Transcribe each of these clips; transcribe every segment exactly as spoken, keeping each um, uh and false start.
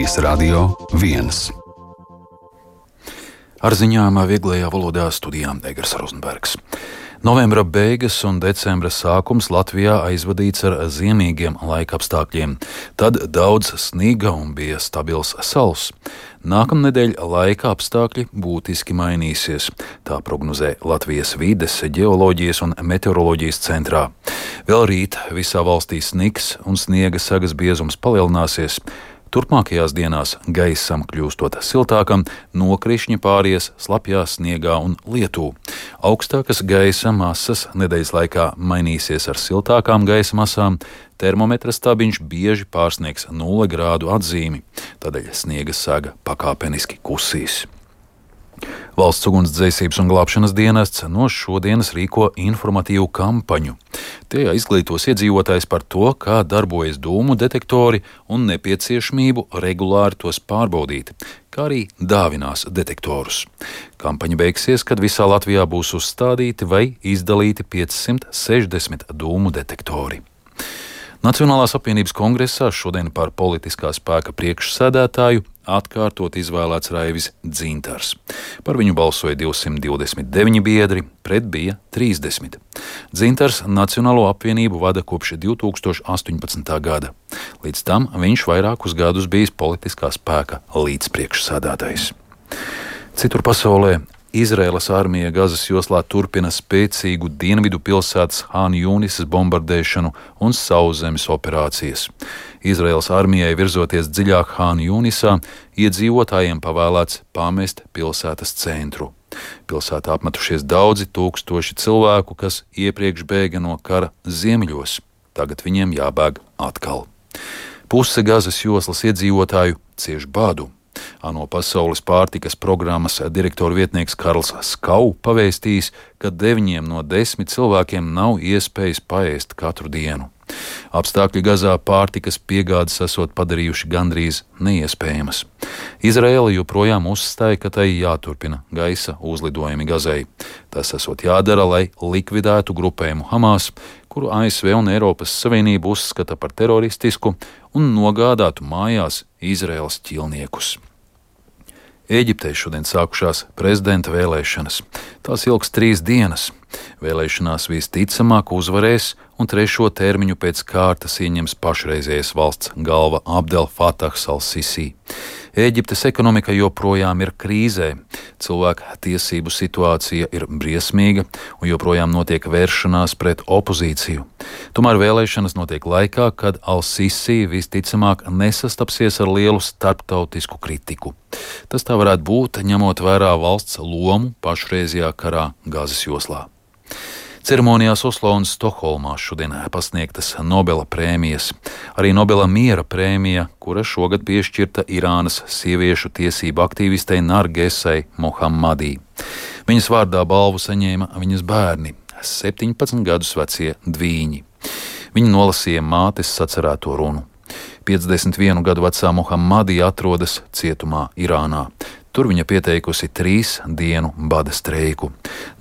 Radio viens. Ar ziņām vieglajā valodā studijā Egers Rozenbergs. Novembra beigas un decembra sākums Latvijā aizvadīts ar ziemīgiem laikapstākļiem. Tad daudz sniega un bija stabils sals. Nākamnedēļ laika apstākļi būtiski mainīsies. Tā prognozē Latvijas vides, ģeoloģijas un meteoroloģijas centrā. Vēl rīt visā valstī snigs un sniega sagas biezums palielināsies. Turpmākajās dienās gaisam kļūstot siltākam, nokrišņi pāries slapjā sniegā un lietū. Augstākas gaisa masas nedēļas laikā mainīsies ar siltākām gaisa masām, termometra stabiņš bieži pārsniegs nulle grādu atzīmi, tādēļ sniega saga pakāpeniski kusīs. Valsts ugunsdzēsības un glābšanas dienests no šodienas rīko informatīvu kampaņu. Tajā izglītos iedzīvotājs par to, kā darbojas dūmu detektori un nepieciešamību regulāri tos pārbaudīt, kā arī dāvinās detektorus. Kampaņa beigsies, kad visā Latvijā būs uzstādīti vai izdalīti piecsimt sešdesmit dūmu detektori. Nacionālās apvienības kongresā šodien par politiskā spēka priekšsēdētāju atkārtot izvēlēts Raivis Dzintars. Par viņu balsoja divsimt divdesmit deviņi biedri, pret bija trīsdesmit. Dzintars Nacionālo apvienību vada kopš divi tūkstoši astoņpadsmitā gada. Līdz tam viņš vairākus gadus bijis politiskā spēka līdzpriekšsēdētājs. Citur pasaulē Izraēlas armija Gazas joslā turpina spēcīgu dienvidu pilsētas Hāna Jūnisas bombardēšanu un sauszemes operācijas. Izraēlas armijai virzoties dziļāk Hāna Jūnisā, iedzīvotājiem pavēlēts pamest pilsētas centru. Pilsētā apmetušies daudzi tūkstoši cilvēku, kas iepriekš bēga no kara ziemeļos. Tagad viņiem jābēg atkal. Puse Gazas joslas iedzīvotāju cieš badu. ANO Pasaules pārtikas programmas direktora vietnieks Karls Skau pavēstījis, ka deviņiem no desmit cilvēkiem nav iespējas paēst katru dienu. Apstākļi Gazā pārtikas piegādes esot padarījuši gandrīz neiespējamas. Izraēla joprojām uzstāja, ka tai jāturpina gaisa uzlidojumi Gazai. Tas esot jādara, lai likvidētu grupējumu Hamas, kuru A S V un Eiropas Savienība uzskata par teroristisku un nogādātu mājās Izraēlas ķilniekus. Ēģiptē šodien sākušās prezidenta vēlēšanas. Tās ilgs trīs dienas. Vēlēšanās visticamāk uzvarēs un trešo termiņu pēc kārtas ieņems pašreizējais valsts galva Abdel Fatahs al-Sisi. Ēģiptes ekonomika joprojām ir krīzē. Cilvēku tiesību situācija ir briesmīga un joprojām notiek vēršanās pret opozīciju. Tomēr vēlēšanas notiek laikā, kad al-Sisi visticamāk nesastapsies ar lielu starptautisku kritiku. Tas tā varētu būt, ņemot vērā valsts lomu pašreizajā karā Gazas joslā. Ceremonijās Oslo un Stokholmā šodien pasniegtas Nobela prēmijas. Arī Nobela miera prēmija, kura šogad piešķirta Irānas sieviešu tiesību aktīvistei Nargesai Mohammadī. Viņas vārdā balvu saņēma viņas bērni, septiņpadsmit gadus vecie dvīņi. Viņi nolasīja mātes sacerēto runu. piecdesmit vienu gadu vecā Mohammadī atrodas cietumā Irānā. Tur viņa pieteikusi trīs dienu bada streiku.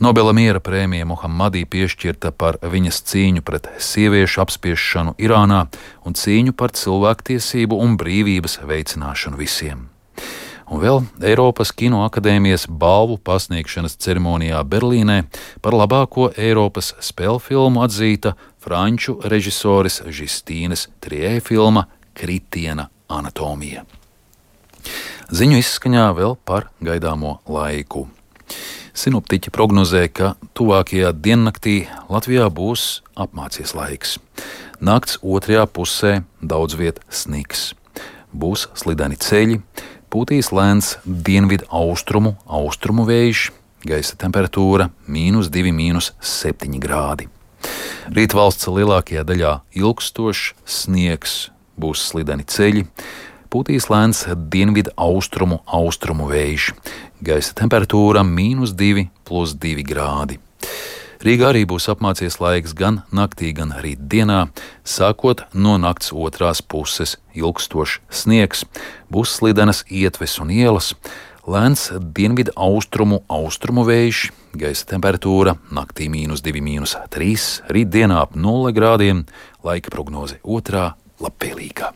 Nobela miera prēmija Mohammadī piešķirta par viņas cīņu pret sieviešu apspiešanu Irānā un cīņu par cilvēktiesību un brīvības veicināšanu visiem. Un vēl Eiropas Kinoakadēmijas balvu pasniegšanas ceremonijā Berlīnē par labāko Eiropas spēļu filmu atzīta franču režisoris Žistīnes Trijē filma Kritiena anatomija. Ziņu izskaņā vēl par gaidāmo laiku. Sinoptiķi prognozē, ka tuvākajā diennaktī Latvijā būs apmācies laiks. Nakts otrajā pusē daudz viet sniks. Būs slideni ceļi, pūtīs lēns dienvidu austrumu, austrumu vējš, gaisa temperatūra mīnus divi, mīnus septiņi grādi. Rīt valsts lielākajā daļā ilgstošs sniegs, būs slideni ceļi, pūtīs lēns dienvidu austrumu, austrumu vējš, gaisa temperatūra mīnus divi, plus divi grādi. Rīgā arī būs apmācies laiks gan naktī, gan rīt dienā, sākot no nakts otrās puses ilgstošs sniegs, būs slidenas ietves un ielas, lēns dienvidu austrumu, austrumu vējš, gaisa temperatūra naktī mīnus divi, mīnus trīs, rīt dienā ap nulle grādiem, laika prognoze otrā labvēlīgā.